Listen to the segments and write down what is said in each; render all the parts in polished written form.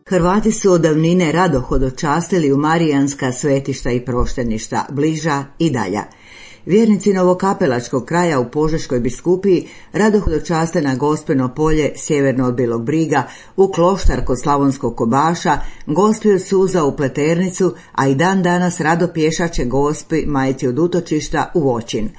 Hrvati su od davnine rado hodočastili u marijanska svetišta i prošteništa, bliža i dalja. Vjernici Novokapelačkog kraja u Požeškoj biskupiji rado hodočaste na Gospino polje sjeverno od Bilog Briga, u Kloštar kod Slavonskog Kobaša, Gospi od Suza u Pleternicu, a i dan danas rado pješače Gospi Majci od Utočišta u Voćin.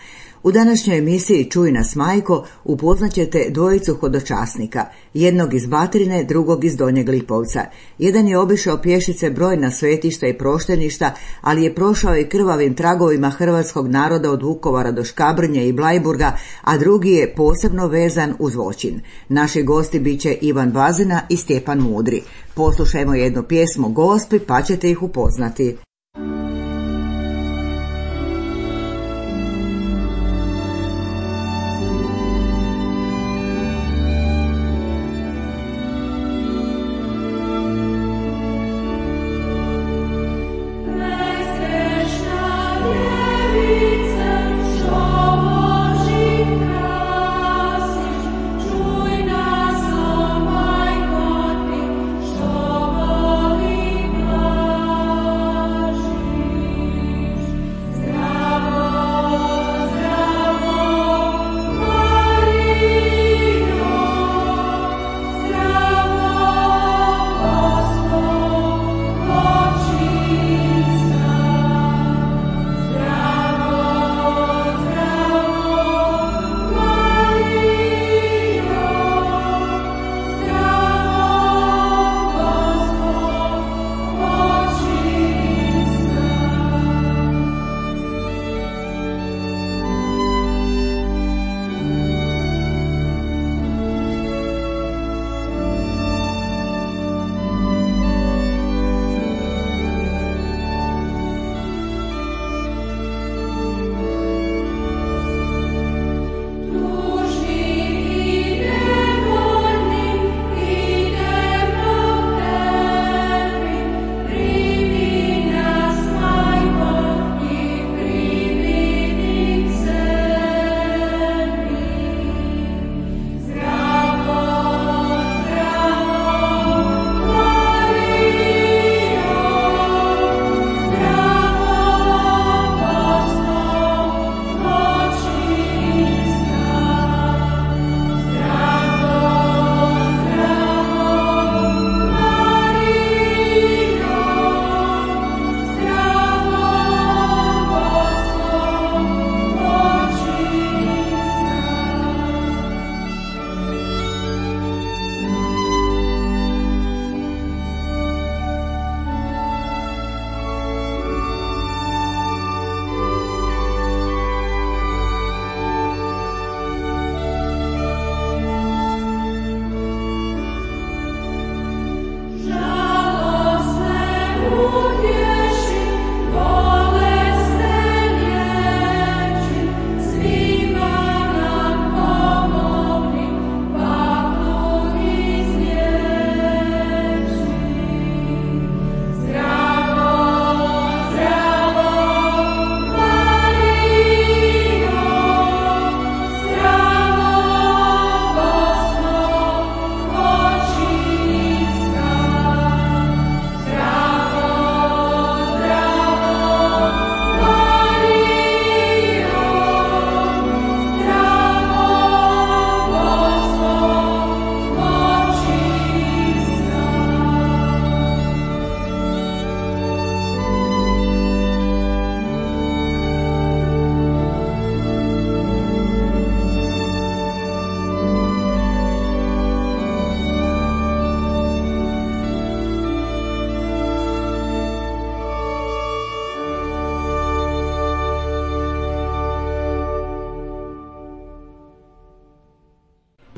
U današnjoj emisiji Čuj nas majko upoznaćete dvojicu hodočasnika, jednog iz Batrine, drugog iz Donjeg Lipovca. Jedan je obišao pješice brojna svetišta i prošteništa, ali je prošao i krvavim tragovima hrvatskog naroda od Vukovara do Škabrnje i Blajburga, a drugi je posebno vezan uz Voćin. Naši gosti bit će Ivan Bazina i Stjepan Mudri. Poslušajmo jednu pjesmu Gospi pa ćete ih upoznati.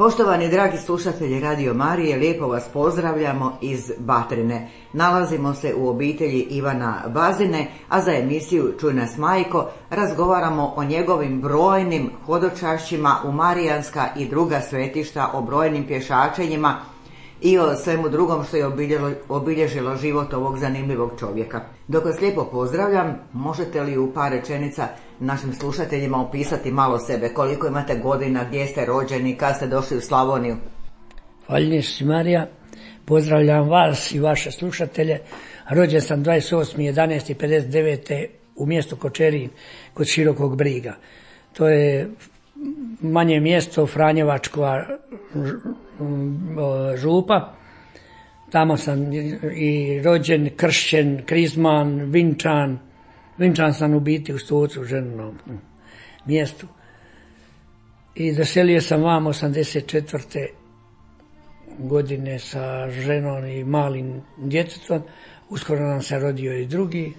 Poštovani dragi slušatelji Radio Marije, lijepo vas pozdravljamo iz Batrine. Nalazimo se u obitelji Ivana Bazine, a za emisiju Čuj nas majko razgovaramo o njegovim brojnim hodočašćima u marijanska i druga svetišta, o brojnim pješačenjima i o svemu drugom što je obilježilo život ovog zanimljivog čovjeka. Dok vas lijepo pozdravljam, možete li u par rečenica našim slušateljima opisati malo sebe, koliko imate godina, gdje ste rođeni, kad ste došli u Slavoniju? Hvaljen si Marija, Pozdravljam vas i vaše slušatelje. Rođen sam 28.11.59. u mjestu Kočerin kod Širokog Briga. To je manje mjesto, Franjevačka župa. Tamo sam i rođen, kršćen, krizman, vinčan. Vinčan sam u biti u Stocu, ženom mjestu. I doselio sam vam 84. godine sa ženom i malim djetetom. Uskoro nam se rodio i drugi,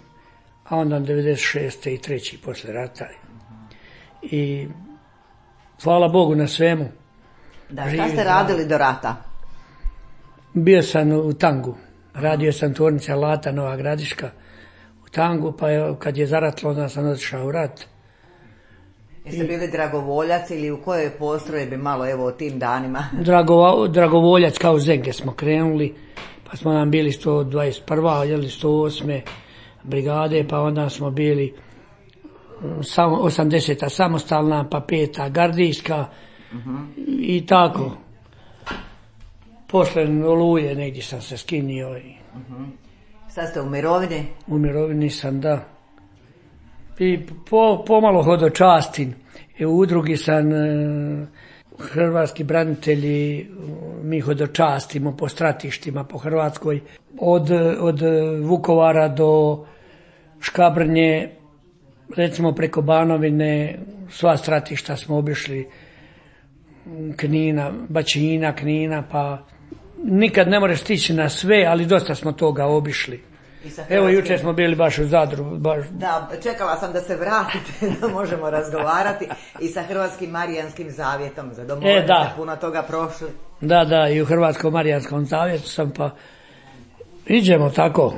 a onda 96. i treći posle rata. I hvala Bogu na svemu. Da, šta ste radili do rata? Bio sam u Tangu. Radio sam tvornica alata Nova Gradiška u Tangu, pa kad je zaratilo, onda sam otišao u rat. Jeste bili dragovoljac ili u kojoj postrojbi, malo evo o tim danima? Dragovoljac, kao Zenge smo krenuli, pa smo nam bili 121. 108. brigade, pa onda smo bili 80. samostalna, pa 5. gardijska i tako. Posle Oluje negdje sam se skinio. Sad ste u mirovini? U mirovini sam, da. I pomalo hodočastim. I u udrugi sam hrvatski branitelji, mi hodočastimo po stratištima po Hrvatskoj. Od Vukovara do Škabrnje, recimo preko Banovine, sva stratišta smo obišli, Knina, Bačina, Knina, pa nikad ne možeš stići na sve, ali dosta smo toga obišli. Evo, jučer smo bili baš u Zadru. Da, čekala sam da se vratite, da možemo razgovarati i sa Hrvatskim Marijanskim zavjetom za domovine, puno toga prošli. Da, i u Hrvatskom Marijanskom zavjetu sam, pa iđemo tako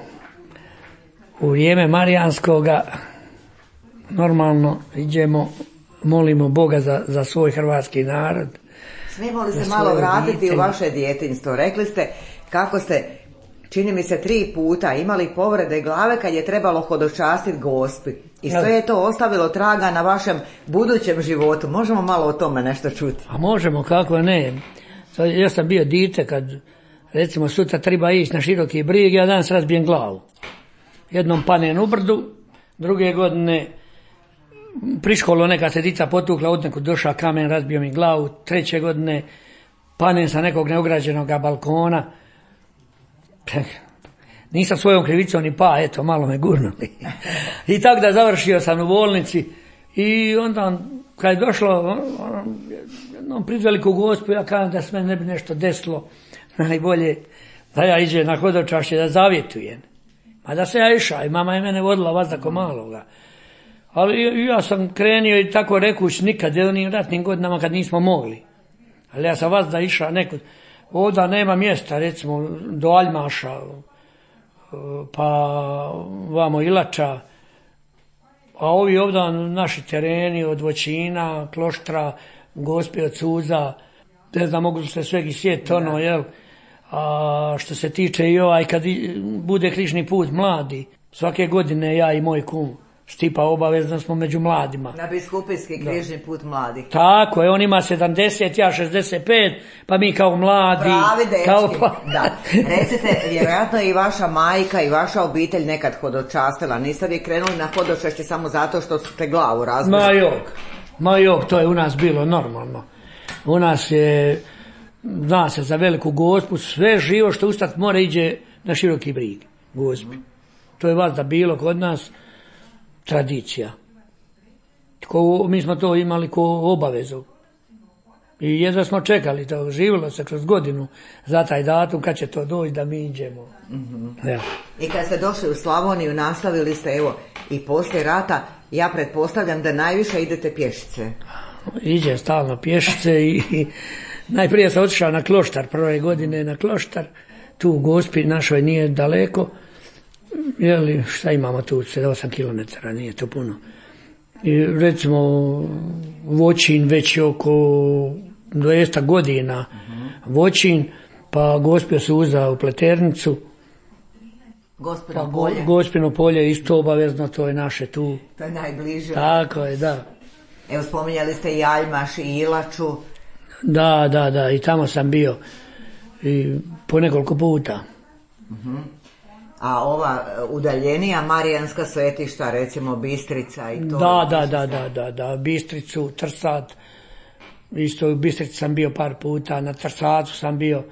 u vrijeme Marijanskoga, normalno iđemo, molimo Boga za svoj hrvatski narod. Smijemo li se malo vratiti u vaše djetinjstvo? Rekli ste kako ste, čini mi se 3 puta, imali povrede glave kad je trebalo hodočastiti Gospi. I sve je to ostavilo traga na vašem budućem životu. Možemo malo o tome nešto čuti? A možemo, kako ne. Ja sam bio dite kad, recimo, sutra treba ići na Široki Brig, ja danas razbijem glavu. Jednom panem u brdu, druge godine pri školu neka se dica potukla, od nekud došao kamen, razbio mi glavu. 3. godine panem sa nekog neograđenog balkona. Nisam svojom krivicom ni eto, malo me gurnuli. I tako da završio sam u bolnici. I onda, kad je došlo pred veliku Gospu, ja kažem da se meni ne bi nešto desilo, najbolje da ja iđem na hodočašće da zavjetujem. A da se ja išao i mama je mene vodila vazda ko maloga. Ali ja sam krenio i tako rekuć nikad, u onim ratnim godinama kad nismo mogli. Ali ja sam vazda išao nekud. Ovdje nema mjesta, recimo do Aljmaša, pa vamo Ilača, a ovi ovdje naši tereni od Voćina, Kloštra, Gospe od Suza, ne znam, mogu se svegi sjet, jel? A što se tiče i kad bude križni put mladi, svake godine ja i moj kum Stipa obavezno smo među mladima. Na biskupijski križni put mladih. Tako je, on ima 70, ja 65, pa mi kao mladi. Pravi dečki, da. Recite, vjerojatno i vaša majka i vaša obitelj nekad hodočastila. Niste vi krenuli na hodočašće samo zato što ste glavu razbili? Ma jok, to je u nas bilo normalno. U nas je, zna se za Veliku Gospu, sve živo što ustat mora iđe na Široki Brig, Gospi. To je vazda bilo kod nas tradicija. Mi smo to imali ko obavezu. I jedva smo čekali to, živjelo se kroz godinu za taj datum kad će to doći da mi iđemo. Ja. I kad ste došli u Slavoniju, nastavili ste i poslije rata, ja pretpostavljam da najviše idete pješice. Iđem stalno pješice i najprije sam otišao na Kloštar, prve godine na Kloštar, tu u Gospi našoj nije daleko. Jeli, šta imamo tu, 8 km, nije to puno. I recimo Voćin već oko 200 godina, Voćin, pa Gospio Suza u Pleternicu. Gospino polje. Gospino polje isto obavezno, to je naše tu. To je najbliže. Tako je, da. Evo, spominjali ste i Aljmaš i Ilaču. Da, i tamo sam bio. i po nekoliko puta. A ova udaljenija marijanska svetišta, recimo Bistrica i to? Da, Bistricu, Trsat, isto u Bistrici sam bio par puta, na Trsacu sam bio.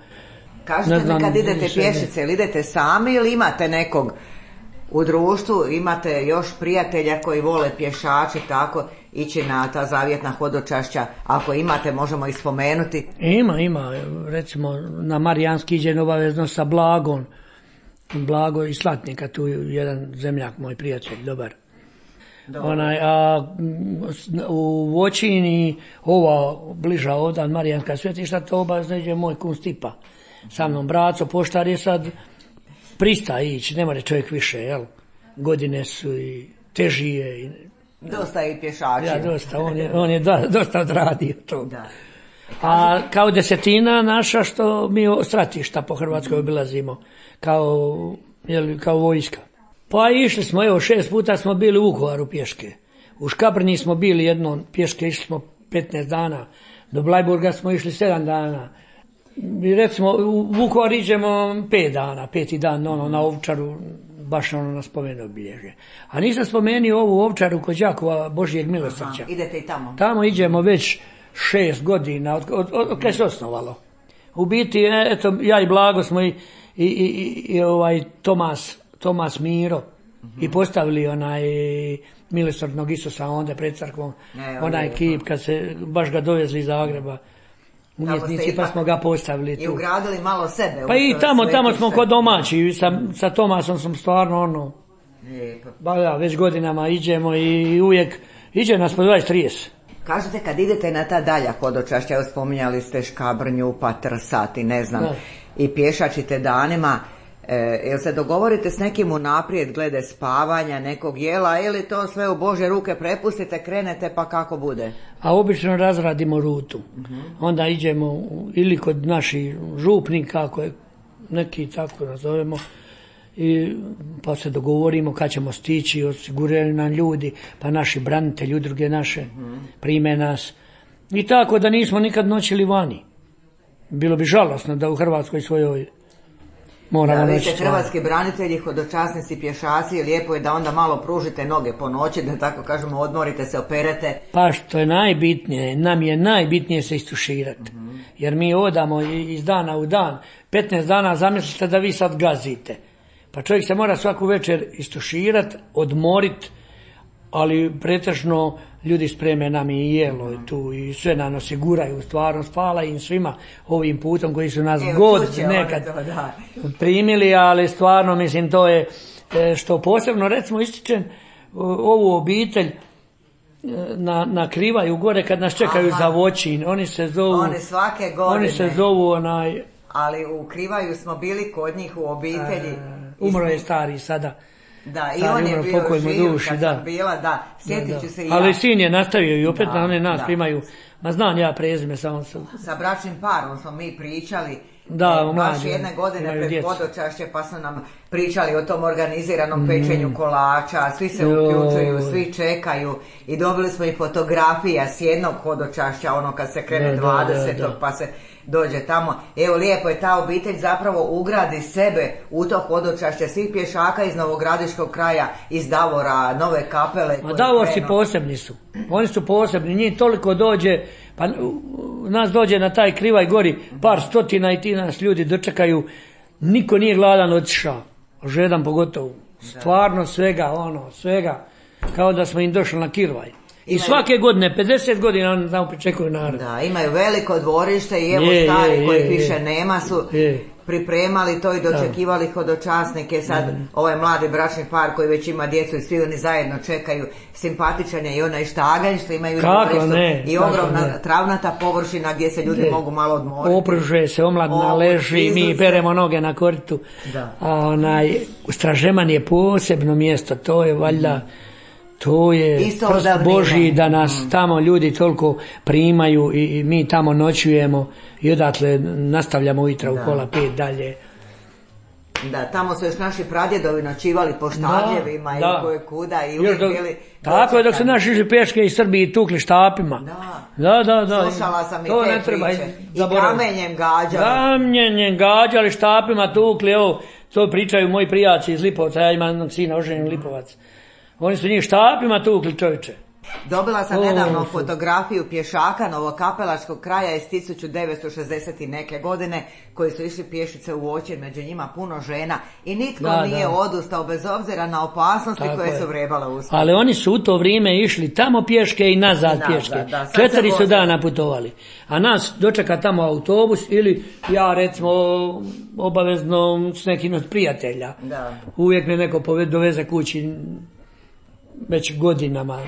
Kažete mi kad idete pješice, ili idete sami ili imate nekog u društvu, imate još prijatelja koji vole pješači tako ići na ta zavjetna hodočašća, ako imate možemo ih spomenuti? Ima, recimo na Marijanski iđem obavezno sa Blagom, Blago iz Slatnika, tu jedan zemljak moj prijatelj, dobar. A u Voćini, ova bliža ovdje Marijanska svetišta, to obavezno iđe moj kum Stipa. Sa mnom braco, poštar je sad pristaje ići, ne more čovjek više, jel? Godine su i teži je. Dosta je i pješačima. Ja, dosta, on je dosta odradio to. Da. A kao desetina naša što mi stratišta po Hrvatskoj obilazimo, kao vojska. Pa išli smo, 6 puta smo bili u Vukovaru pješke. U Škabrnji smo bili jednom pješke, išli smo 15 dana. Do Blajburga smo išli 7 dana. I recimo u Vukovar iđemo 5 dana, 5. dan na Ovčaru, baš na spomen obilježje. A nisam spomenuo ovu Ovčaru kod Đakova Božijeg milosrđa. Idete i tamo? Tamo iđemo već 6 godina, od kad se osnovalo. U biti, eto, ja i Blago smo i Tomas Miro i postavili onaj milosrdnog Isusa onda pred crkvom, onaj kip kad se baš ga dovezli iz Zagreba. Umjetnici, pa smo ga postavili tu. I ugradili malo sebe. Pa i tamo smo kod domaći, sa Tomasom sam stvarno već godinama iđemo i uvijek iđe nas po 20-30. Kažete kad idete na ta dalja hodočašća, evo spominjali ste Škabrnju, pa Trsat i ne znam, i pješačite danima, jel se dogovorite s nekim unaprijed glede spavanja, nekog jela, ili to sve u Božje ruke prepustite, krenete pa kako bude? A obično razradimo rutu. Onda iđemo ili kod naših župnika, ako je neki tako nazovemo, pa se dogovorimo kad ćemo stići, osiguraju nam ljudi, pa naši branitelji, udruge naše prime nas. I tako da nismo nikad noćili vani. Bilo bi žalosno da u Hrvatskoj svojoj moramo noći. Vi ste hrvatski branitelji, hodočasnici, pješaci, lijepo je da onda malo pružite noge po noći, da tako kažemo, odmorite se, operete. Pa što je najbitnije, nam je najbitnije se istuširati. Jer mi odamo iz dana u dan, 15 dana zamislite da vi sad gazite. Pa čovjek se mora svaku večer istuširati, odmoriti, ali pretežno ljudi spreme nam i jelo tu i sve nam osiguraju, stvarno hvala im svima ovim putom koji su nas nekad primili, ali stvarno mislim to je što posebno recimo ističem ovu obitelj na Krivaju gore kad nas čekaju za Voćin, oni se svake godine. Oni se zovu ali u Krivaju smo bili kod njih u obitelji. Umro je stari sada. Da, i on je bio živ kad sam bila, sjetit ću se i ja. Ali sin je nastavio i opet na one nas primaju, ma znam ja prezime samo sam. Sa bračnim parom smo mi pričali, baš jedne godine pred hodočašće pa su nam pričali o tom organiziranom pečenju kolača, svi se uključuju, svi čekaju i dobili smo i fotografija s jednog hodočašća, ono kad se krene 20. pa se dođe tamo. Evo lijepo je ta obitelj zapravo ugradi sebe u to hodočašće svih pješaka iz Novogradiškog kraja, iz Davora, Nove Kapele. A Davorci posebni su. Oni su posebni. Njih toliko dođe, pa nas dođe na taj Krivaj gori par stotina i ti nas ljudi dočekaju. Niko nije gladan otišao. Žedan pogotovo. Stvarno svega. Kao da smo im došli na Krivaj. I svake godine, 50 godina oni tamo pričekuju narod. Da, imaju veliko dvorište i evo stari koji više nema su pripremali to i dočekivali hodočasnike. Sad ovaj mladi bračni par koji već ima djecu i svi oni zajedno čekaju, simpatičan je i onaj štaganj što imaju dvorištu i ogromna travnata površina gdje se ljudi mogu malo odmoriti. Opružuje se, omladna leži, mi peremo noge na koritu. A Stražeman je posebno mjesto, to je valjda to je prst Božji da nas tamo ljudi toliko primaju i mi tamo noćujemo i odatle nastavljamo ujutro u 4:30 dalje. Da, tamo su još naši pradjedovi noćivali po štavljevima i koje kuda i uvijek bili... Tako je, dok su naši išli pješke iz Srbije i tukli štapima. Da. Slušala sam i to te priče. I kamenjem gađali. Kamenjem gađali, štapima tukli, evo, to pričaju moji prijatelji iz Lipovca, ja imam jednog sina oženjen Lipovac. Oni su njih štapima tukli, čovječe. Dobila sam nedavno fotografiju pješaka novokapelačkog kraja iz 1960 i neke godine koji su išli pješice u Voćin, među njima puno žena i nitko nije odustao bez obzira na opasnosti koje su vrebale uspjeti. Ali oni su u to vrijeme išli tamo pješke i nazad pješke. 4 su dana putovali. A nas dočeka tamo autobus ili ja recimo obavezno s nekim od prijatelja. Uvijek me neko doveze kući već godinama.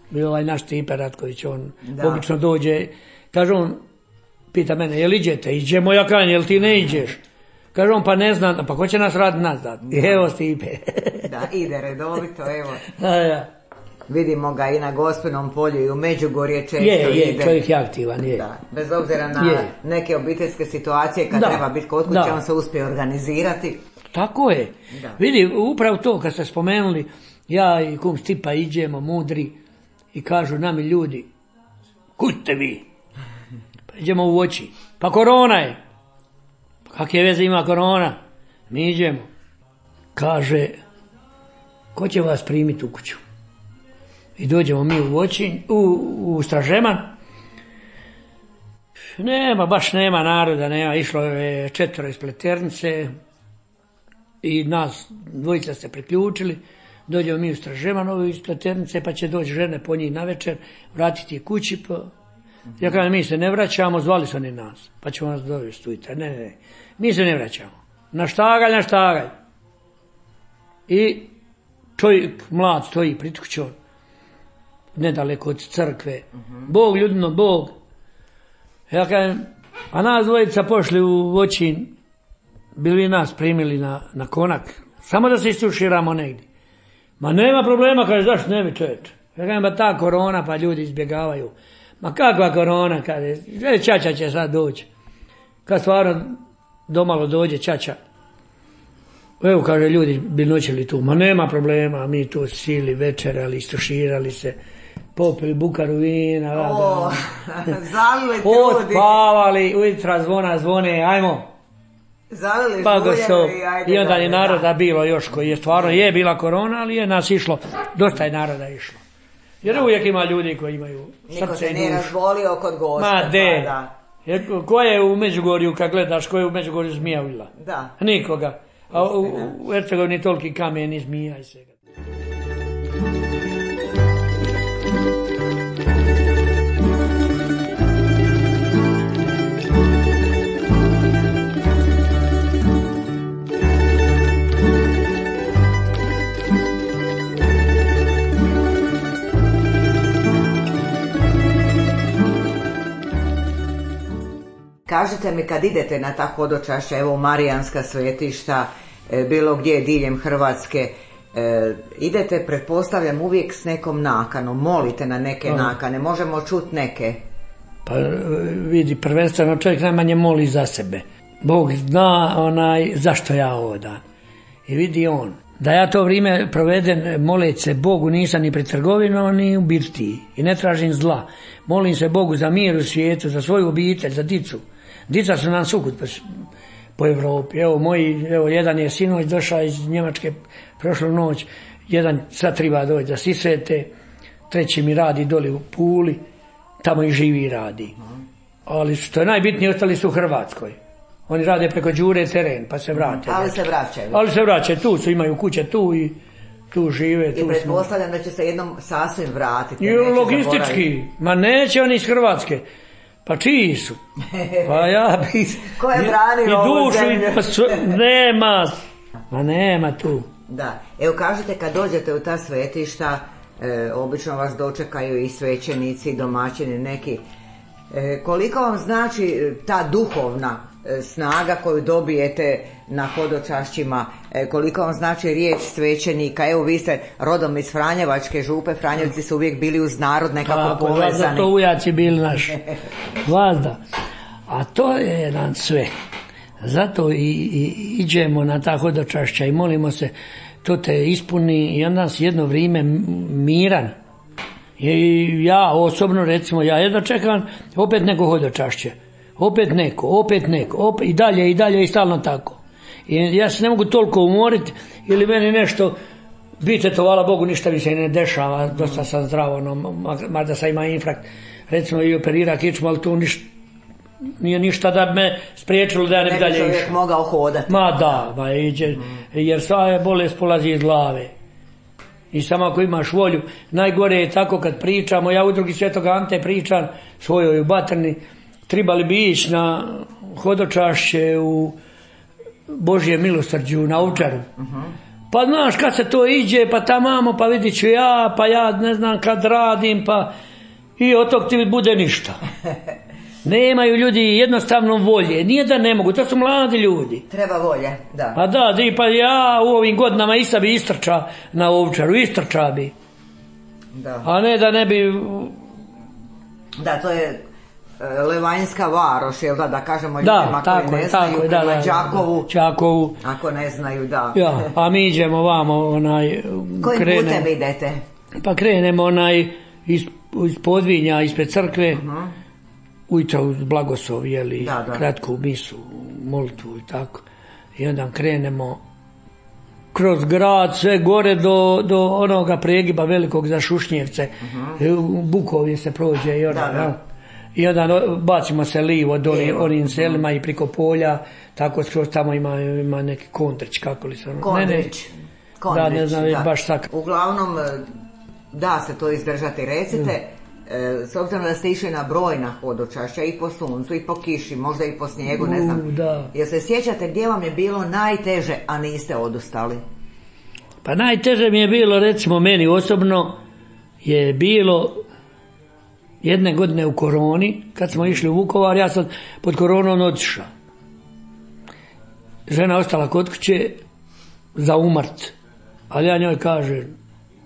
Bio ovaj naš Stipe Ratković, on obično dođe, kaže on, pita mene, jel iđete? Iđemo, ja kažem, jel ti ne iđeš? Kaže on, pa ne znam, pa ko će nas raditi nazad? Evo Stipe. Da, ide redovito, evo. Vidimo ga i na Gospinom polju i u Međugorje često ide. Je, čovjek je aktivan, je. Da, bez obzira na neke obiteljske situacije kad treba biti kod kuće, on se uspije organizirati. Tako je. Vidi, upravo to kad ste spomenuli, ja i kum Stipa iđemo mudri i kažu nami ljudi, kud te vi? Pa idemo u Voćin. Pa korona je. Pa kakve veze ima korona? Mi iđemo. Kaže, ko će vas primiti u kuću? I dođemo mi u Voćin, u Stražeman. Baš nema naroda, nema. Išlo je 4 iz Pleternice i nas dvojica se priključili. Dođemo mi u Stražemanovu iz Pleternice, pa će doći žene po njih na večer, vratiti je kući. Ja kažem, mi se ne vraćamo, zvali su oni nas, pa ćemo nas dovesti ujutro. Ne, mi se ne vraćamo. Na štagalj. I čovjek mlad stoji pred kućom, nedaleko od crkve. Bog, ljudino, Bog. Ja kažem, a nas dvojica pošli u Voćin, bili nas primili na konak, samo da se istuširamo negdje. Ma nema problema, kaže, zašto ne bi čovječ? Ja kažem, ba ta korona, pa ljudi izbjegavaju. Ma kakva korona, kaže, čača će sad doći. Kad stvarno domalo dođe čača, evo, kaže, ljudi bi noćili tu. Ma nema problema, mi tu sili, večerali, istuširali se, popili bukaru vina. Zalili ljudi. Otpavali, ujutro zvone, ajmo. Pa i onda je naroda bilo još koji je stvarno bila korona, ali je nas išlo, dosta je naroda išlo. Jer uvijek ima ljudi koji imaju srce i dušu. Niko se nije razbolio kod gosta. Ma de, ko je u Međugorju, kad gledaš, ko je u Međugorju zmija ujela? Da. Nikoga. A u Hercegovini toliki kamen i zmija i svega. Kažite mi, kad idete na ta hodočašća, evo u Marijanska svetišta, bilo gdje diljem Hrvatske, idete, pretpostavljam, uvijek s nekom nakanom, molite na neke nakane, možemo čuti neke? Pa vidi, prvenstveno čovjek najmanje moli za sebe. Bog zna zašto ja ovo dan. I vidi on, da ja to vrijeme proveden moleći se Bogu nisam ni pred trgovinom ni u birtiji i ne tražim zla. Molim se Bogu za mir u svijetu, za svoju obitelj, za dicu. Dica su nam sukut po Europi. Evo, jedan je sinoć došao iz Njemačke prošlu noć, jedan sad treba doći da sisete, treći mi radi doli u Puli, tamo i živi i radi. Ali što je najbitnije, ostali su u Hrvatskoj. Oni rade preko Đure teren, pa se vrate. Ali se vraćaju, tu su, imaju kuće tu i tu žive. I pretpostavljam da će se jednom sasvim vratiti. Logistički, ma neće oni iz Hrvatske. Pa čiji su? Pa ja bi... Ko je branio ovu zemlju? Nema tu. Da. Evo kažete, kad dođete u ta svetišta, obično vas dočekaju i svećenici, i domaćini neki. Koliko vam znači ta duhovna snaga koju dobijete na hodočašćima, koliko vam znači riječ svećenika? Evo, vi ste rodom iz Franjevačke župe, Franjevci su uvijek bili uz narod nekako povezani. Vazda to ujaci bili naši. Vazda. A to je jedan sve. Zato i iđemo na ta hodočašća i molimo se, to te ispuni i onda si jedno vrijeme miran. I ja osobno, recimo, ja jedno čekam opet neko hodočašće. Opet neko, i dalje i stalno tako. I ja se ne mogu toliko umoriti ili meni nešto, bite to, hvala Bogu, ništa mi se ne dešava, dosta sam zdravo, mada sam ima infarkt, recimo i operira kičmu, ali tu nije ništa da me spriječilo da ja ne bi dalje išao. Ne bi čovjek mogao hodati. Ma da, jer sva je bolest polazi iz glave. I samo ako imaš volju, najgore je tako kad pričamo, ja u Udrugi Svetog Ante pričam svojoj u Batrni, trebali bi ići na hodočašće u Božje milosrđu na Ovčaru. Pa znaš kad se to iđe, pa tamamo, pa vidit ću pa ja ne znam kad radim, pa i od tog ti bude ništa. Nemaju ljudi jednostavno volje, nije da ne mogu, to su mladi ljudi. Treba volje, da. Pa da, pa ja u ovim godinama isto bi istrča na Ovčaru, istrča bi. Da. A ne da ne bi... Da, to je Levanjska Varoš, jel da kažemo ljudima koji ne znaju, prema Đakovu, ako ne znaju, da. Ja, a mi idemo vamo, kojim putem idete? Pa krenemo iz Podvinja, ispred crkve, ujutro uz blagoslov, jeli, kratku misu, molitvu i tako. I onda krenemo kroz grad, sve gore do onoga pregiba velikog za Šušnjevce. U Bukovje se prođe i I onda bacimo se livo do onim selima i priko polja, tako skroz tamo ima neki Kondrić, kako li se ono... Kondrić. Da, ne znam, baš sak. Uglavnom, da se to izdržati, recite, s obzirom da ste išli na brojna hodočašća i po suncu i po kiši, možda i po snijegu, ne znam. Jel se sjećate gdje vam je bilo najteže, a niste odustali? Pa najteže mi je bilo, recimo meni osobno, je bilo jedne godine u koroni, kad smo išli u Vukovar, ja sam pod koronom otišao. Žena ostala kod kuće za umrt, ali ja njoj kažem,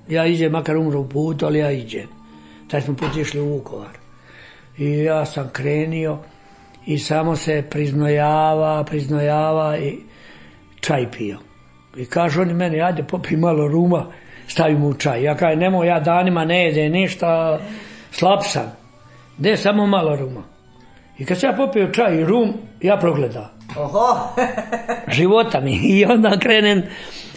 ja iđem, makar umro u putu, ali ja iđem. Taj smo put išli u Vukovar. I ja sam krenio i samo se priznojava i čaj pio. I kažu oni meni, ajde popij malo ruma, stavim u čaj. Ja kažem, nemoj, ja danima ne jedem ništa, slab sam. De samo malo ruma. I kad sam ja popio čaj i rum, ja progledam. Oho! Života mi. I onda krenem,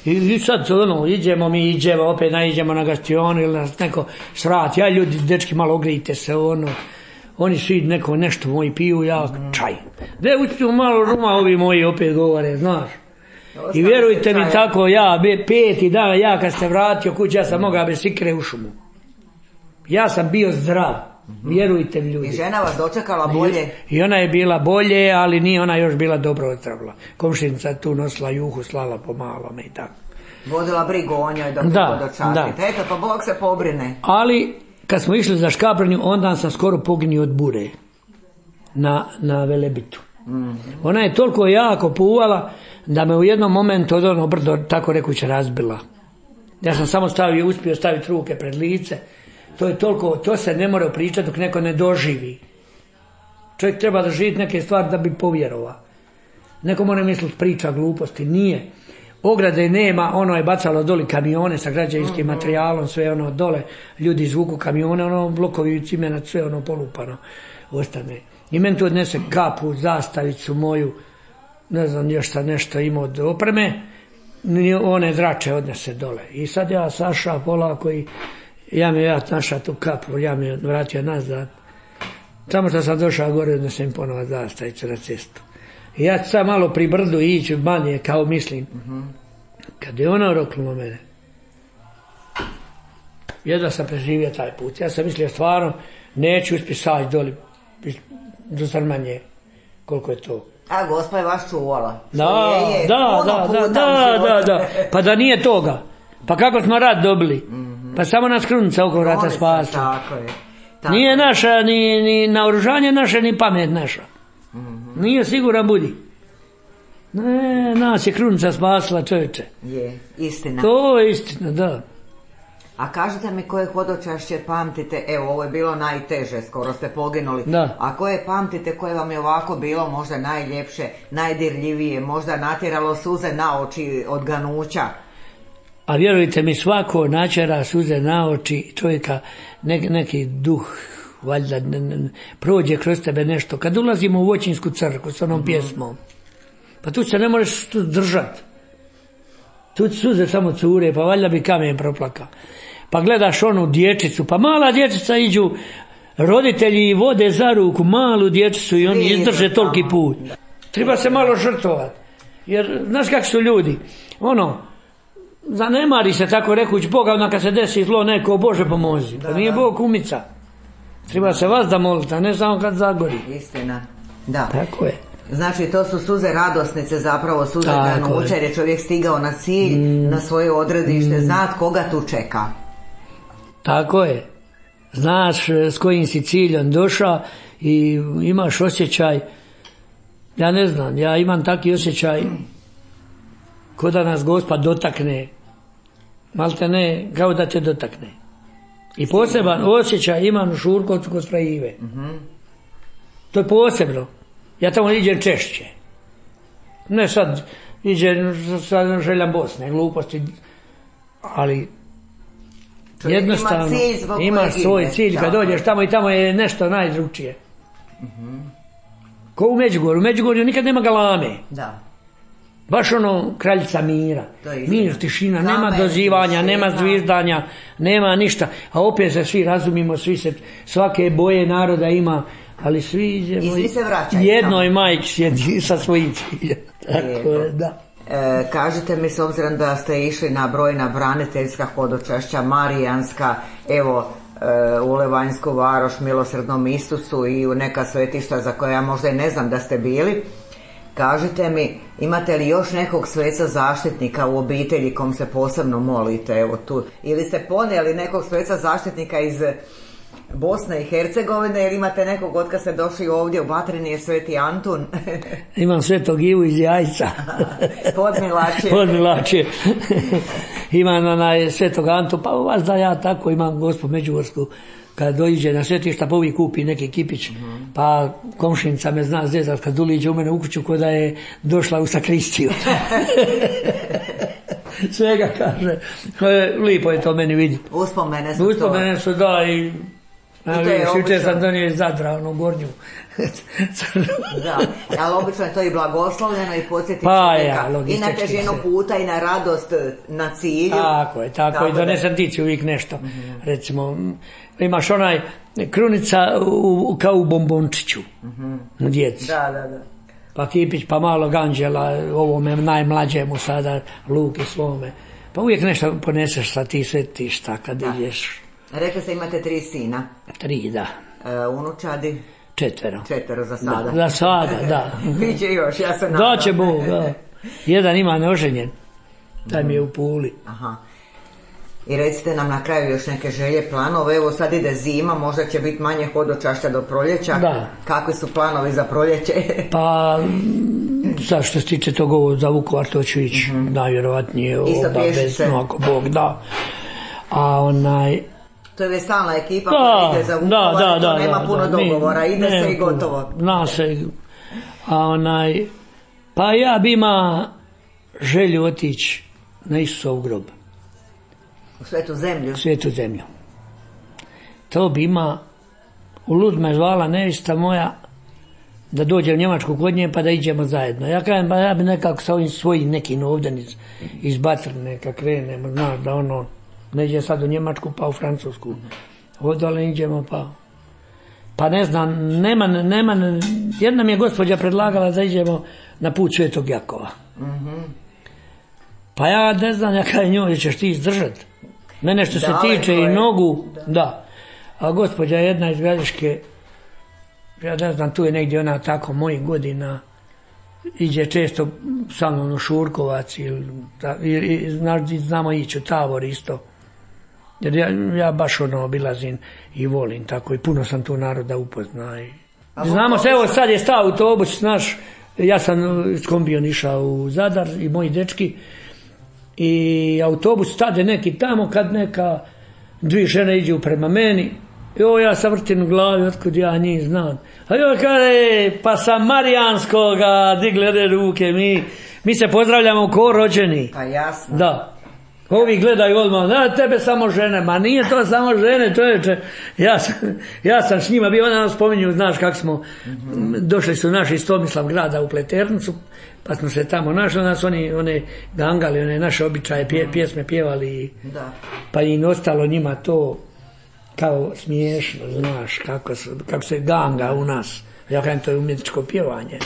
i sad idemo, opet naiđemo na gastionu ili nas neko svrati. Ja ljudi, dečki, malo ogrijte se, oni svi nešto moji piju, ja čaj. De uspiju malo ruma, ovi moji opet govore, znaš. I vjerujte mi tako, ja 5. dan, ja kad se vratio kući, ja sam mogao bez sikre u šumu. Ja sam bio zdrav. Vjerujte mi ljudi. I žena vas dočekala bolje? I ona je bila bolje, ali nije ona još bila dobro ozdravila. Komšinica tu nosila juhu, slala po malome i tako. Vodila brigu o njoj dok hodočastite. Eto, pa Bog se pobrine. Ali, kad smo išli za Škabrnju, onda sam skoro poginio od bure na Velebitu. Ona je toliko jako puvala da me u jednom momentu od ono brdo, tako rekuće, razbila. Ja sam samo uspio staviti ruke pred lice. To je toliko, to se ne mora pričati dok neko ne doživi. Čovjek treba doživjeti neke stvari da bi povjerovao. Neko mora misliti priča gluposti, nije. Ograde nema, ono je bacalo doli kamione sa građevinskim materijalom, sve ono dole, ljudi izvuku kamione, blokovi cimenat, sve polupano ostane. I meni tu odnese kapu, zastavicu moju, ne znam, još sam nešto imao od opreme, one drače odnese dole. I sad ja saša polako i ja našao tu kapu, ja mi je vratio nazad. Samo što sam došao gore, odnesem im ponovo zastavicu na cestu. I ja sam malo pri brdu ići manje, kao mislim. Kad je ona roknula mene, jedva sam preživio taj put. Ja sam mislio stvarno, neću uspjeti saći doli do Zrmanje, koliko je to. A Gospa je vas čuvala. Da. Pa da nije toga. Pa kako smo rad dobili? Pa samo nas krunica oko vrata spasla. Tako je. Nije naša ni naoružanje naše, ni pamet naša. Nije siguran budi. Ne, nas je krunica spasla, čovječe. Je, istina. To je istina, da. A kažete mi koje hodočašće pamtite, evo ovo je bilo najteže, skoro ste poginuli, Da. a koje pamtite, koje vam je ovako bilo možda najljepše, najdirljivije, možda natjeralo suze na oči od ganuća? A vjerujte mi, svako načera suze na oči čovjeka, neki duh, valjda, prođe kroz tebe nešto. Kad ulazimo u Voćinsku crkvu s onom pjesmom, pa tu se ne možeš tu držati. Tu suze samo cure, pa valjda bi kamen proplaka. Pa gledaš onu dječicu, pa mala dječica iđu, roditelji i vode za ruku malu dječicu i oni izdrže toliki put. Treba se malo žrtvovati. Jer, znaš kak su ljudi, zanemari se tako rekuć Boga, onda kad se desi zlo neko, Bože pomozi. Pa nije Bog kumica. Treba se vas da moliti, a ne samo kad zagori. Istina, da. Tako je. Znači to su suze radosnice, zapravo suze ganuća, jer je čovjek stigao na cilj, na svoje odredište, znat koga tu čeka. Tako je. Znaš s kojim si ciljem došao i imaš osjećaj, ja ne znam, ja imam taki osjećaj ko da nas Gospod dotakne, malte ne, kao da te dotakne. I poseban osjećaj imam u Šurkovcu kod Frajive. To je posebno. Ja tamo iđem češće. Ne sad iđem sad željam Bosne, gluposti, ali čovjek jednostavno imaš svoj cilj kad dođeš tamo i tamo je nešto najdrugčije. Ko u Međugorju. U Međugorju nikad nema galame. Da. Baš kraljica mira. Mir, tišina, nema dozivanja, nema zviždanja, nema ništa. A opet se svi razumimo, svake boje naroda ima, ali svi idemo. I svi se vraćaju. Jednoj majki sjedi sa svojim ciljem. Tako je, da. Kažite mi, s obzirom da ste išli na brojna braniteljska hodočašća, marijanska, evo, u Levanjsku Varoš, Milosrdnom Isusu i u neka svetišta za koja ja možda i ne znam da ste bili, kažite mi, imate li još nekog sveca zaštitnika u obitelji kom se posebno molite, evo tu, ili ste ponijeli nekog sveca zaštitnika iz Bosne i Hercegovine, ili imate nekog od kad ste došli ovdje u Batrini je Sveti Antun? Imam Svetog Ivu iz Jajca. Podmilačje. Imam Svetog Antu, pa vas da ja tako imam Gospu Međugorsku. Kad dođe na svetišta, pa uvijek kupi neki kipić, pa komšinica me zna zezat kad uliđe u mene u kuću ko da je došla u sakristiju. Svega kaže. Lipo je to meni vidjeti. Uspomene su da i jučer sam donio iz Zadra, gornju. Da, ali obično je to i blagoslovljeno i podsjeti i na težinu puta i na radost na cilju. Tako je, i donesem tici uvijek nešto. Recimo, imaš krunica kao u bombončiću na djeci. Da. Pa kipić, pa malo ganđela, ovome najmlađemu sada, Luki svome. Pa uvijek nešto poneseš sa ti svetišta kad ideš. Rekli ste imate 3 sina. 3, da. Unučadi? 4 za sada. Za sada, da. Biće još, ja se nadam. Da će Bog, da. Jedan ima neoženjen, taj mi je u Puli. Aha. I recite nam na kraju još neke želje, planove, evo sad ide zima, možda će biti manje hodočašća do proljeća. Da. Kakvi su planovi za proljeće? Pa, sad što se tiče toga za Vukovar, to ću ići najvjerovatnije obavezno, ako Bog da. A to je stalna ekipa koja ide za Vukovar, to nema puno dogovora, ide se i gotovo. Zna se. A pa ja bi ima želju otići na Isusov grob. U Svetu zemlju? U Svetu zemlju. To bi ima, u Lud me zvala nevista moja da dođe u Njemačku kod nje pa da iđemo zajedno. Ja kažem, pa ja bi nekako sa ovim svojim nekim ovdje iz Batrne kad krenemo, znaš da ne ide sad u Njemačku pa u Francusku. Ovdje iđemo pa ne znam, nema, jedna mi je gospođa predlagala da iđemo na put Svetog Jakova. Pa ja ne znam, ja kaj njoj ćeš ti izdržati. Mene što se tiče i nogu, da. A gospođa jedna iz Gradiške, ja ne znam, tu je negdje ona tako mojih godina, iđe često sa mnom u Šurkovac i znamo ići u Tavor isto. Jer ja baš obilazim i volim tako i puno sam tu naroda upozna. Znamo se, evo sad je stao autobus naš, ja sam s kombijom išao u Zadar i moji dečki i autobus stade neki tamo kad neka dvije žene iđu prema meni, ja sam vrtim u glavi, otkud ja njih znam. A joj kaže, pa sa Marijanskoga digli ode ruke, mi se pozdravljamo ko rođeni. Pa jasno. Da. Ovi gledaju odmah, da, tebe samo žene, ma nije to samo žene, čovječe. Ja sam s njima bio, onda nam spominju, znaš kako smo, došli su naši iz Tomislav grada u Pleternicu, pa smo se tamo našli, onda su one gangali, one naše običaje, pjesme pjevali, pa im ostalo njima to kao smiješno, znaš, kako se ganga u nas. Ja kažem, to je umjetničko pjevanje,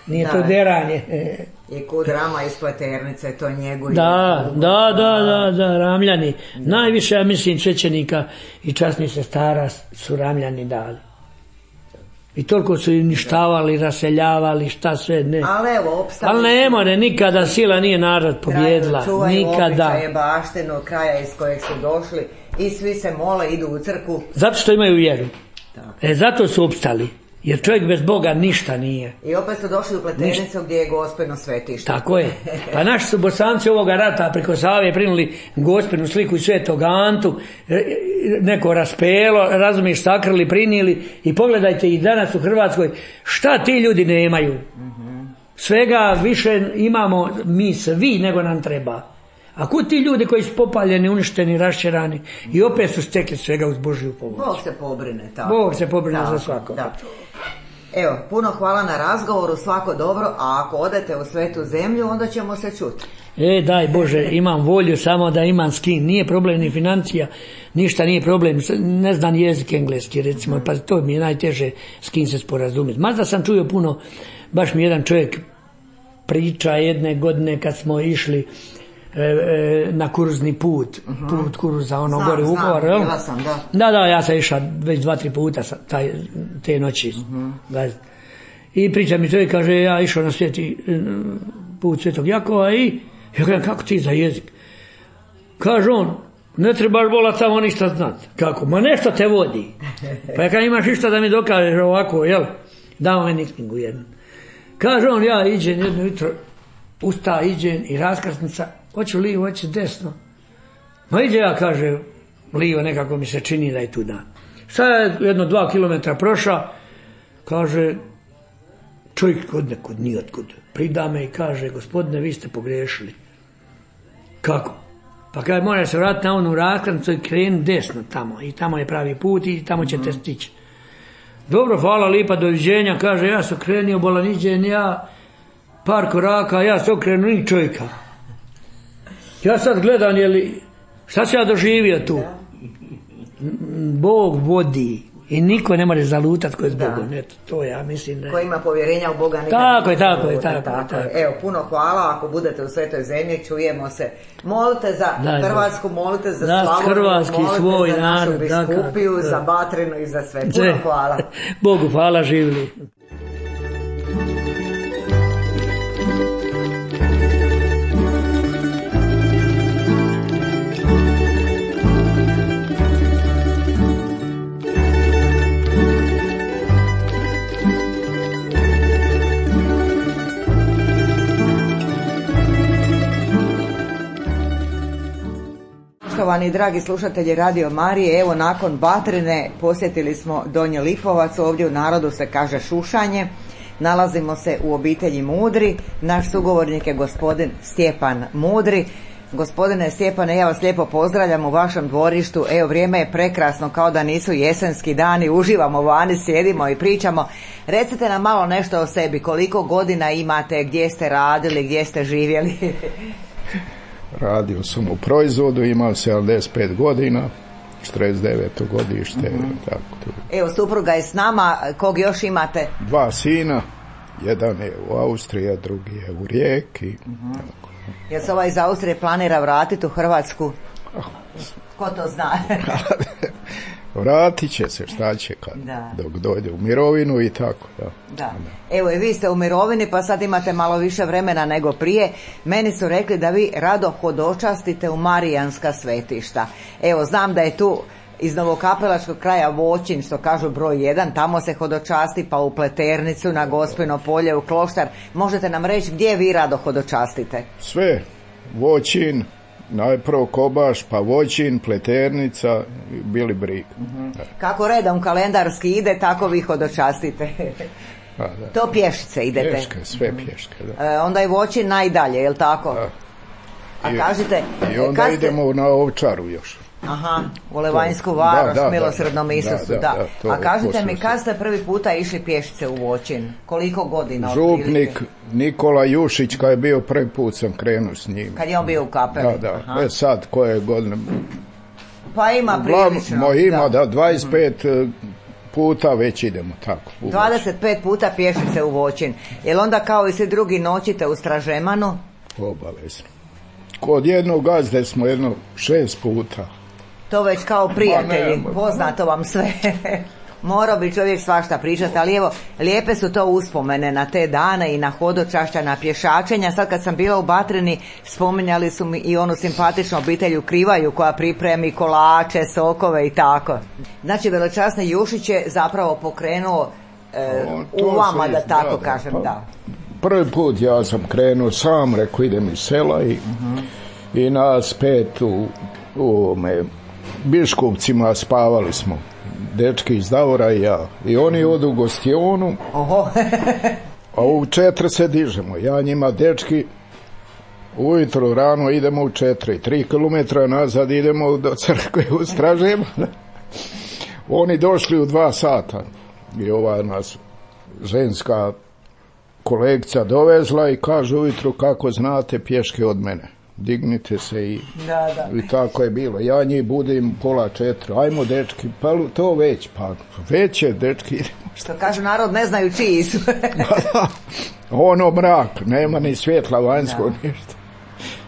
nije to deranje. I kud Rama iz Pleternice, to njeguje. Da, Ramljani. Najviše, ja mislim, svećenika i časnih sestara su Ramljani dali. I toliko su uništavali, raseljavali, šta sve ne. Ali evo, opstavili. Ali ne more, nikada sila nije narod pobjedila. Čuvaju nikada. Običaje, baštinu, kraja iz kojeg su došli i svi se mole, idu u crkvu. Zato što imaju vjeru. Zato su opstali. Jer čovjek bez Boga ništa nije. I opet su došli u Pleternicu gdje je Gospino svetište. Tako je. Pa naši su Bosanci ovoga rata preko Save prinuli Gospinu sliku i Svetog Antu, neko raspelo, razumiješ, sakrili, prinijeli i pogledajte i danas u Hrvatskoj šta ti ljudi nemaju. Svega više imamo mi svi nego nam treba. A kud ti ljudi koji su popaljeni, uništeni, raščerani i opet su stekli svega uz Božju pomoć. Bog se pobrine, tako. Bog se pobrine za svakog. Evo, puno hvala na razgovoru, svako dobro, a ako odete u Svetu zemlju, onda ćemo se čuti. Daj Bože, imam volju, samo da imam s kim. Nije problem ni financija, ništa nije problem. Ne znam jezik engleski, recimo, pa to mi je najteže s kim se sporazumjeti. Mada sam čuo puno, baš mi jedan čovjek priča jedne godine kad smo išli na kurzni put kurza, gore u Vukovar. Da, ja sam išao već 2-3 puta te noći. I priča mi čovjek, kaže, ja išao na put Svetog Jakova i ja kažem, kako ti za jezik? Kaže on, ne trebaš vola tamo ništa znat. Kako? Ma nešto te vodi. Pa ja kažem, imaš išta da mi dokažeš ovako, jel? Dao me knjigu jednu. Kaže on, ja iđem jedno jutro, iđem i raskrsnica, hoću lijevo, hoću desno. Ma iđe ja, kaže, lijevo, nekako mi se čini da je tu dan. Sad je 2 kilometra prošao, kaže, čovjek od nekud, nijotkud, prida me i kaže, gospodine, vi ste pogriješili. Kako? Pa kaže, moraš se vratiti na onu raskrsnicu i kreni desno tamo. I tamo je pravi put i tamo ćete stići. Dobro, hvala lipa, doviđenja, kaže, ja sam krenio, bolan iđen, ja par koraka, ja sam okrenuo ni čovjeka. Ja sad gledam, šta sam ja doživio tu? Bog vodi i niko ne može zalutati ko je s Bogom. Eto, to ja mislim da... Ko ima povjerenja u Boga nikad... Tako je. Evo, puno hvala, ako budete u Svetoj zemlji, čujemo se. Molite za Hrvatsku, molite za Slavoniju, molite za našu biskupiju, za Batrinu i za sve. Puno hvala. Bogu hvala, živjeli. Poštovani dragi slušatelji Radio Marije, evo nakon Batrine posjetili smo Donji Lipovac, ovdje u narodu se kaže Šušanje. Nalazimo se u obitelji Mudri, naš sugovornik je gospodin Stjepan Mudri. Gospodine Stjepane, ja vas lijepo pozdravljam u vašem dvorištu, evo vrijeme je prekrasno kao da nisu jesenski dani, uživamo vani, sjedimo i pričamo. Recite nam malo nešto o sebi, koliko godina imate, gdje ste radili, gdje ste živjeli? Radio sam u proizvodu, imam 75 godina, 49. godište. Tako. Evo, supruga je s nama, kog još imate? 2 sina, jedan je u Austriji, a drugi je u Rijeki. Tako. Jel se ovaj iz Austrije planira vratiti u Hrvatsku? Ko to zna? Vratit će se, šta će kad, dok dođe u mirovinu i tako. Da. Evo i vi ste u mirovini, pa sad imate malo više vremena nego prije. Meni su rekli da vi rado hodočastite u Marijanska svetišta. Evo, znam da je tu iz Novokapelačkog kraja Voćin, što kažu broj 1, tamo se hodočasti, pa u Pleternicu, na Gospino polje, u Kloštar. Možete nam reći gdje vi rado hodočastite? Sve, Voćin, Najprvo Kobaš, pa Voćin, Pleternica, Bili Brig. Kako redom kalendarski ide, tako vi hodočastite. To pješice idete. Pješke, sve pješke, da. Onda je Voćin najdalje, je li tako? Da. A kažete... I onda idemo na Ovčaru još. Aha, u Levanjsku Varoš, milosrdnom Isusu, da. A kažite mi, kad ste prvi puta išli pješice u Voćin? Koliko godina? Župnik Nikola Jušić, kad je bio prvi put sam krenuo s njim. Kad je on bio u kapeli? Da. Sad, koje godine? Pa ima prilično. Ima, 25 puta već idemo tako. 25 puta pješice u Voćin. Jel onda kao i svi drugi noćite u Stražemanu? Obavezno. Kod jednog gazde smo 6 puta. To već kao prijatelji, poznato vam sve. Morao bi čovjek svašta pričati, ali evo, lijepe su to uspomene na te dane i na hodočašća, na pješačenja. Sad kad sam bila u Batrini, spominjali su mi i onu simpatičnu obitelj u Krivaju koja pripremi kolače, sokove i tako. Znači, velečasni Jušić je zapravo pokrenuo u vama, da tako kažem, da. Prvi put ja sam krenuo sam, rekao idem iz sela i nas 5 u Biškovcima spavali smo. Dečki iz Davora i ja. I oni odu u gostionu, a u 4 se dižemo. Ja njima, dečki, ujutro rano idemo u 4. 3 kilometra nazad idemo do crkve u Stražemanu. Oni došli u 2 sata. I ova nas ženska kolegica dovezla i kaže ujutro, kako znate, pješke od mene. Dignite se i tako je bilo. Ja njih budim 3:30. Ajmo, dečki, pa to već, pa već je, dečki, idemo. Što kažu narod, ne znaju čiji su. Ono mrak, nema ni svjetla vanjskog, ništa.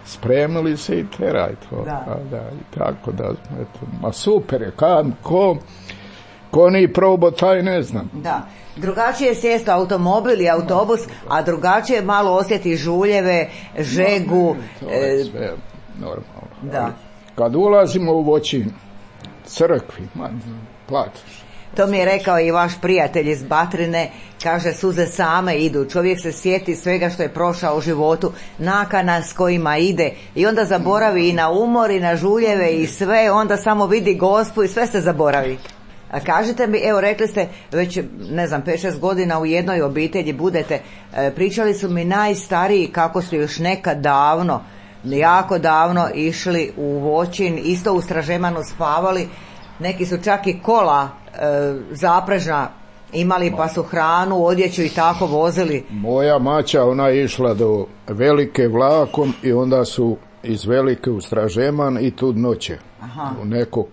Spremili se i teraj to. I tako da, eto, ma super je, ko ni probao, taj ne znam. Da. Drugačije je sjesti automobil i autobus, a drugačije malo osjeti žuljeve, žegu. To je sve normalno. Da. Kad ulazimo u Voćin, crkvi, plačeš. To mi je rekao i vaš prijatelj iz Batrine, kaže, suze same idu, čovjek se sjeti svega što je prošao u životu, nakana s kojima ide i onda zaboravi i na umor i na žuljeve i sve, onda samo vidi Gospu i sve se zaboravi. A kažite mi, evo rekli ste već, ne znam, 5-6 godina u jednoj obitelji budete, pričali su mi najstariji kako su još nekad davno, jako davno išli u Voćin, isto u Stražemanu spavali, neki su čak i kola zaprežna imali pa su hranu, odjeću i tako vozili. Moja maća, ona je išla do Velike vlakom i onda su iz Velike u Stražeman i tu noće. U neko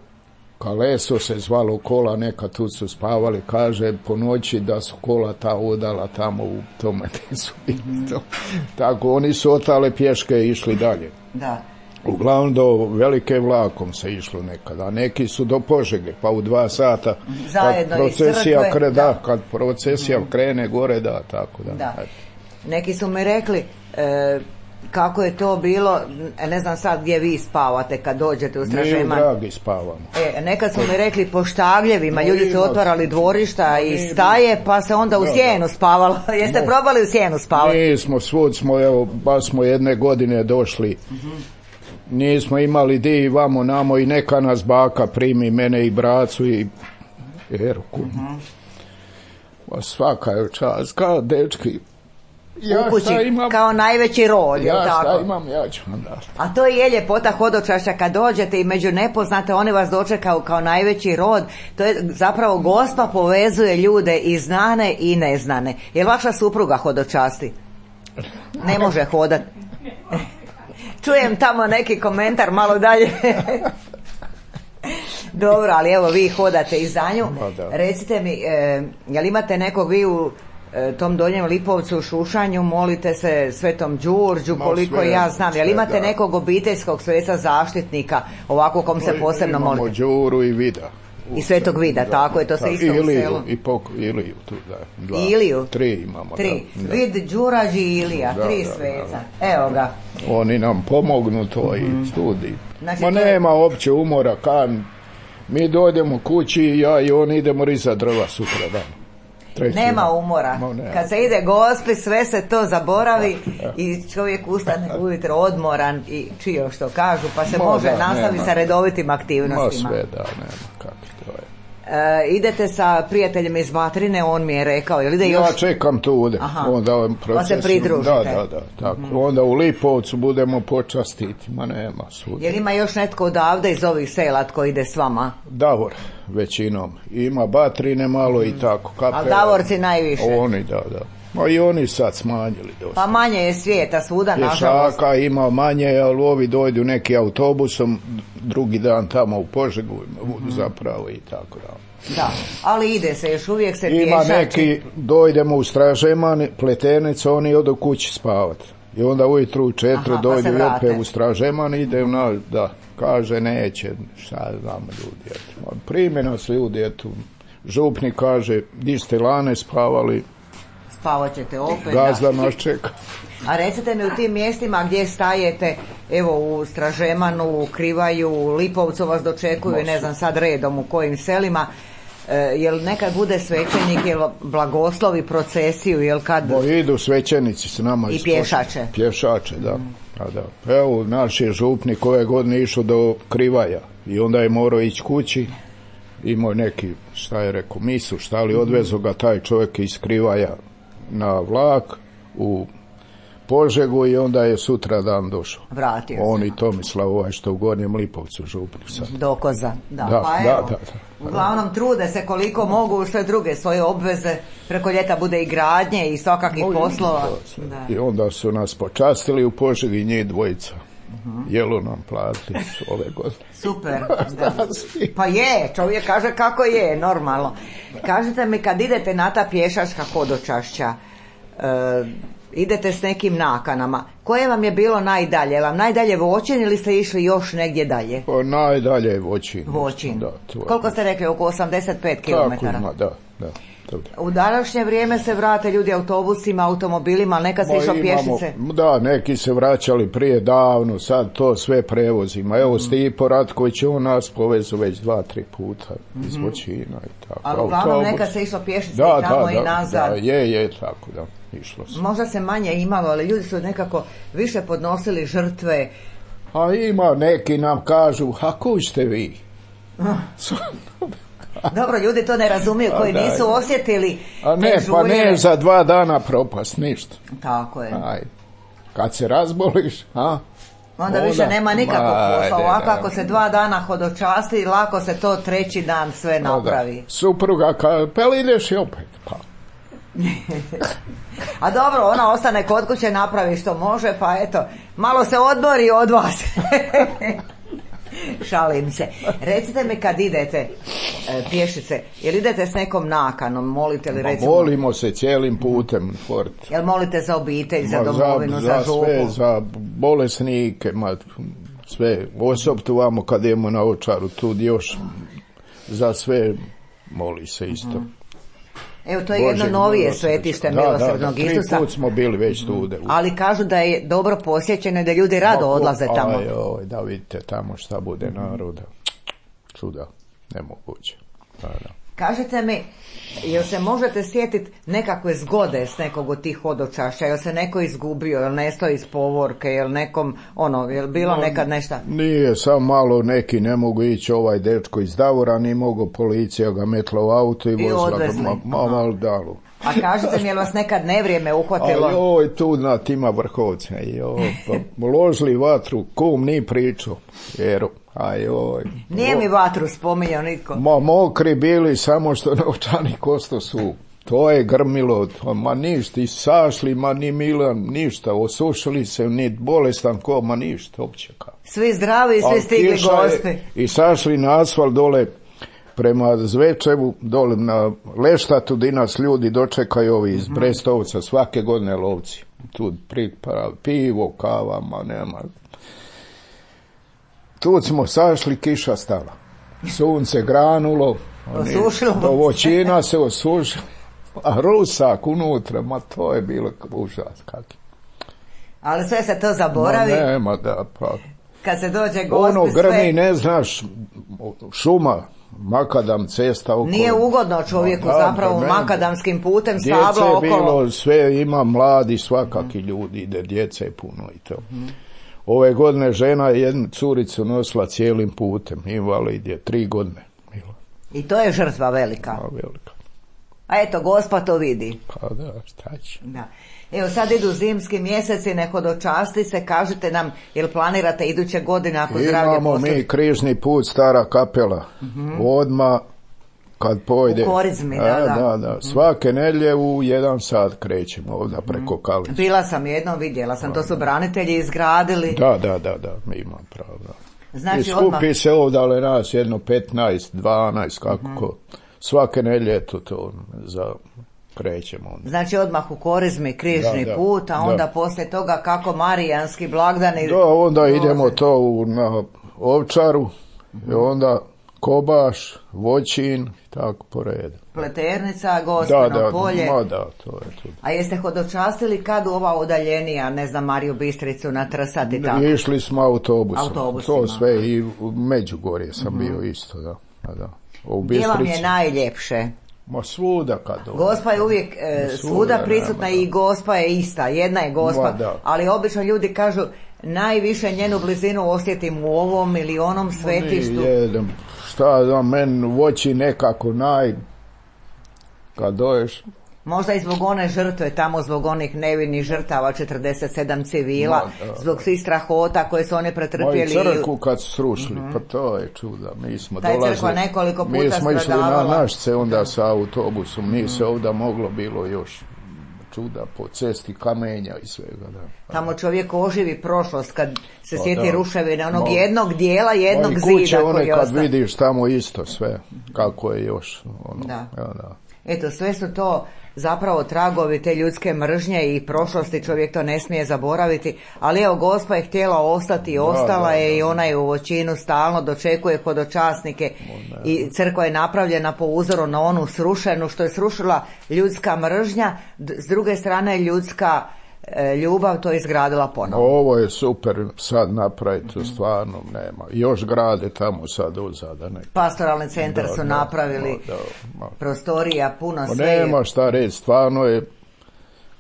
Kaleso se zvalo kola, neka tu su spavali, kaže po noći da su kola ta udala tamo u tome gdje su bili. Tako oni su otale pješke i išli dalje. Da. Uglavnom do Velike vlakom se išlo nekada, a neki su do Požege, pa u 2 sata zajedno kad procesija krene gore, tako da. Neki su mi rekli kako je to bilo, ne znam sad gdje vi spavate kad dođete u Stražeman. Mi u Dragi spavamo. Nekad su mi rekli po štagljevima, ljudi su otvarali dvorišta i staje, pa se onda u sjenu spavalo. Jeste probali u sjenu spavati? Nismo, svud smo, evo, baš smo jedne godine došli. Nismo imali di vamo namo i neka nas baka primi, mene i bracu i Erku. Pa svaka je čast, kao dečki. U kući, kao najveći rod, ja šta imam, ja ću vam dati. A to je ljepota hodočašća, kad dođete i među nepoznate, oni vas dočekaju kao najveći rod. To je zapravo Gospa povezuje ljude i znane i neznane. Jel vaša supruga hodočasti? Ne može hodat. Čujem tamo neki komentar malo dalje. Dobro, ali evo vi hodate i za nju. Recite mi, jel imate nekog vi u tom Donjem Lipovcu u Šušanju, molite se Svetom Đurđu, koliko ja znam, jel imate nekog obiteljskog sveca zaštitnika, ovako kom se posebno molite? Imamo Đuru i Vida. I Svetog Vida, tako je, to se isto u selu. Iliju tu, da. Iliju? 3 imamo. 3. Vid, Đurađi i Ilija, 3 sveca. Evo ga. Oni nam pomognu to i studi. Znači, nema opće umora, mi dojdemo kući, ja i on idemo rizati drva sutra dan. Nema umora. Kad se ide Gospi, sve se to zaboravi i čovjek ustane ujutro odmoran i čio što kažu, pa se može nastaviti sa redovitim aktivnostima. Sve da, nema kako to je. Idete sa prijateljem iz Vatrine, on mi je rekao, jel ide još? Ja čekam tu, onda pa se pridružite. Da, tako. Onda u Lipovcu budemo počastiti, ma nema sud. Jel ima još netko odavde iz ovih sela tko ide s vama? Davor, većinom. Ima Batrine malo i tako. Ali Davorci najviše? Oni, da. Ma i oni sad smanjili dosta. Pa manje je svijeta svuda, nažalost. Pješaka ima manje, ali ovi dojdu neki autobusom, drugi dan tamo u Požegu, zapravo i tako da. Da, ali ide se, još uvijek se pješači. Ima neki, dojdemo u Stražeman, Pletenec, oni odu kući spavati. I onda ujutru u 4 dojdu opet u Stražeman, ide kaže neće, šta znam ljudi. Primjena se ljudi, župnik kaže, di ste lane spavali, spavat ćete opet. Gazda nas čeka. A recite mi, u tim mjestima gdje stajete, evo u Stražemanu, u Krivaju, u Lipovcu vas dočekuju, ne znam sad redom u kojim selima, jel nekad bude svećenik, jel blagoslovi procesiju, jel kad... Idu svećenici s nama. I pješače. Pješače, da. Evo, naš je župnik ove godine išao do Krivaja i onda je morao ići kući. Imao neki, šta je rekao, misu, šta li odvezo ga taj čovjek iz Krivaja na vlak u Požegu i onda je sutra dan došao. Vratio se. On i Tomislav, što u Gornjem Lipovcu župnik sad. Dokoza, da. Uglavnom trude se koliko mogu sve druge svoje obveze, preko ljeta bude i gradnje i svakakvih poslova. I onda su nas počastili u Požegi, njih dvojica. Jelu nam platili ove godine. Super, da. Pa je, čovjek kaže kako je, normalno. Kažete mi, kad idete na ta pješačka hodočašća, idete s nekim nakanama, koje vam je bilo najdalje? Je vam najdalje Voćin ili ste išli još negdje dalje? Najdalje je Voćin. Da, koliko ste rekli, oko 85 km? Tako, da. U današnje vrijeme se vrate ljudi autobusima, automobilima, ali nekad se išlo pješice. Da, neki se vraćali prije davno, sad to sve prevozima. Evo Stipo Ratković, on nas povezu već 2-3 puta iz Voćina i tako. Ali uglavnom nekad se išlo pješice i tamo i nazad. Da, je, tako da, išlo se. Možda se manje imalo, ali ljudi su nekako više podnosili žrtve. A ima, neki nam kažu, a koji ste vi? Dobro, ljudi to ne razumiju, koji nisu osjetili a ne, te žulje. Pa ne za 2 dana propast, ništa. Tako je. Kad se razboliš, onda više nema nikakvog posla. Ovako ako se 2 dana hodočasti, lako se to 3. dan sve napravi. Supruga kaže, pel ideš i opet, pa. A dobro, ona ostane kod kuće, napravi što može, pa eto, malo se odmori od vas. Šalim se. Recite mi, kad idete pješice, jel idete s nekom nakanom, molite li recimo? Molimo se cijelim putem. Jel molite za obitelj, za domovinu, za župu? Sve, za bolesnike, sve. Osobno vamo kad idemo na Ovčaru, tu još za sve moli se isto. Evo, to je jedno novije svetište Milosrdnog Isusa. 3 put smo bili već tu. Ali kažu da je dobro posjećeno i da ljudi rado odlaze tamo. Da vidite tamo šta bude naroda. Čuda, nemoguće. Kažete mi, jel se možete sjetiti nekakve zgode s nekog od tih hodočašća? Jel se neko izgubio, jel nestao iz povorke, jel nekom, jel bilo nekad nešto? Nije, samo malo neki ne mogu ići, ovaj dečko iz Davora, ni mogu, policija ga metla u auto i vozila ga malo dalu. A kažete mi, jel vas nekad nevrijeme uhvatilo? Tu na tima Vrhovca, ložili vatru, kum ni pričao, jer nije mi vatru spominjao nitko. Mokri bili, samo što novčani kosto su. To je grmilo, ništa, i sašli, ni Milan, ništa, osušili se, ni bolestan ko, ništa, opće kao. Svi zdravi i svi stigli gosti. I sašli na asfalt dole prema Zvečevu, dole na Leštatu, di nas ljudi dočekaju ovi iz Brestovca, svake godine lovci. Tu pivo, kava, nema. Tu smo sašli, kiša stala. Sunce granulo. Do Voćina se osušilo. A rusak unutra, to je bilo užas kakvi. Ali sve se to zaboravi. Nema, da, pa. Kad se dođe Gospi grmi, ne znaš, šuma, makadam cesta okolo. Nije ugodno čovjeku zapravo makadamskim putem stabla okolo. Djece bilo, sve ima mladi, svakaki ljudi, ide djece puno i to. Ove godine žena je jednu curicu nosila cijelim putem, invalid je 3 godine. I to je žrtva velika. Velika. A eto, Gospa to vidi. Pa da, šta će. Da. Evo sad idu zimski mjeseci, nehodočasti se, kažete nam, jel planirate iduće godine ako zdravlje Imamo mi križni put, Stara Kapela, odmah kad pojde. U Korizmi, da. Da. Svake nedjelje u 1 sat krećemo ovdje preko Kalića. Bila sam jednom, vidjela sam, to su branitelji izgradili. Da, mi imam pravo, da. Znači, i skupi se ovdje, ali nas jedno 15, 12, kako svake nedjelje to krećemo. Znači odmah u Korizmi križni put, a onda poslije toga kako marijanski blagdani. Da, onda idemo to na Ovčaru, i onda Kobaš, Voćin, tako po redu. Pleternica, Gospino polje. Da, to je tu. A jeste hodočastili kad u ova udaljenija, ne znam, Mariju Bistricu na Trsat i tako? Išli smo autobusom. To sve i u Međugorje sam bio isto, da. Gdje vam je najljepše? Ma svuda kad dođe. Gospa je uvijek svuda prisutna i Gospa je ista, jedna je Gospa, ali obično ljudi kažu najviše njenu blizinu osjetim u ovom ili onom svetištu. Šta da meni voći nekako kad doješ. Možda i zbog one žrtve, tamo zbog onih nevinih žrtava, 47 civila, zbog svih strahota koje su oni pretrpjeli. I crkvu kad su srušili, pa to je čuda. Mi smo dolazili, crkva nekoliko puta mi smo išli stradavala. Na Našce onda sa autobusom, nije se ovdje moglo bilo još čuda po cesti, kamenja i svega. Da. Tamo čovjek oživi prošlost kad se sjeti ruševine onog jednog dijela, jednog zida koji je one kad vidiš tamo isto sve, kako je još. Da. Eto, sve su to zapravo tragovi te ljudske mržnje i prošlosti, čovjek to ne smije zaboraviti, ali evo Gospa je htjela ostati i ostala je i ona je u Voćinu stalno dočekuje hodočasnike i crkva je napravljena po uzoru na onu srušenu što je srušila ljudska mržnja, s druge strane ljudska ljubav to je izgradila ponovno. Ovo je super sad napraviti, stvarno nema. Još grade tamo sad uzada. Pastoralni centar su napravili, prostorija, puno sve. Nema šta reći, stvarno je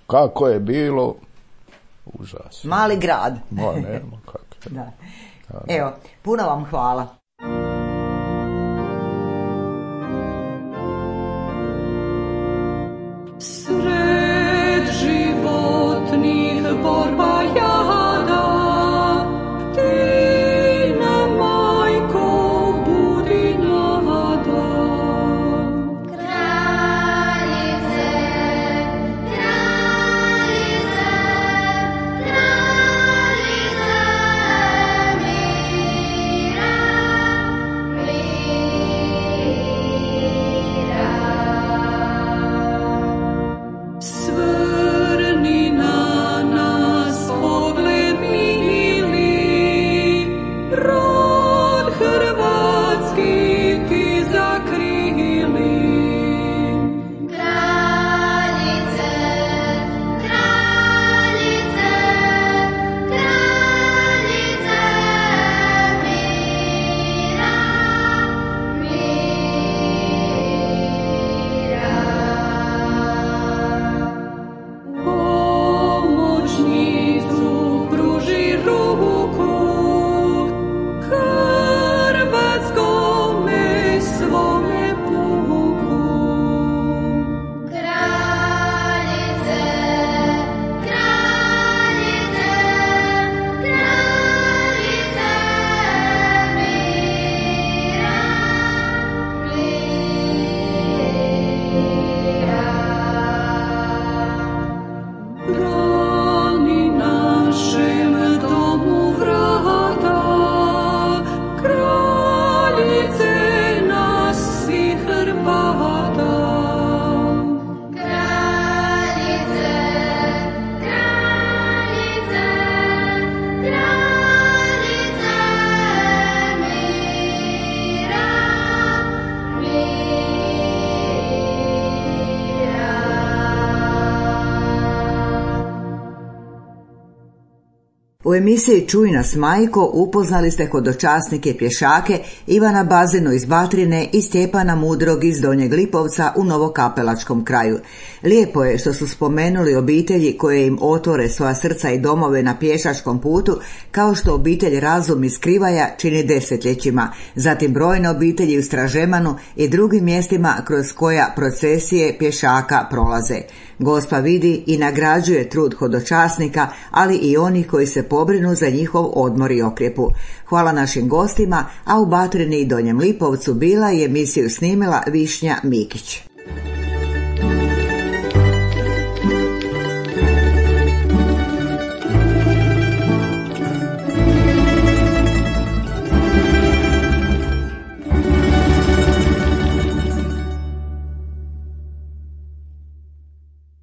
kako je bilo užasno. Mali grad. Nema kako. Da. Evo, puno vam hvala. Borba jada, ti nam majko budi nada. Kraljice, kraljice, kraljice mira, mira. U emisiji Čuj nas majko upoznali ste hodočasnike pješake Ivana Bazinu iz Batrine i Stjepana Mudrog iz Donjeg Lipovca u Novokapelačkom kraju. Lijepo je što su spomenuli obitelji koje im otvore svoja srca i domove na pješačkom putu, kao što obitelj Razum iz Krivaja čini desetljećima, zatim brojne obitelji u Stražemanu i drugim mjestima kroz koja procesije pješaka prolaze. Gospa vidi i nagrađuje trud hodočasnika, ali i onih koji se pobrinu za njihov odmor i okrjepu. Hvala našim gostima, a u Batrini i Donjem Lipovcu bila i emisiju snimila Višnja Mikić.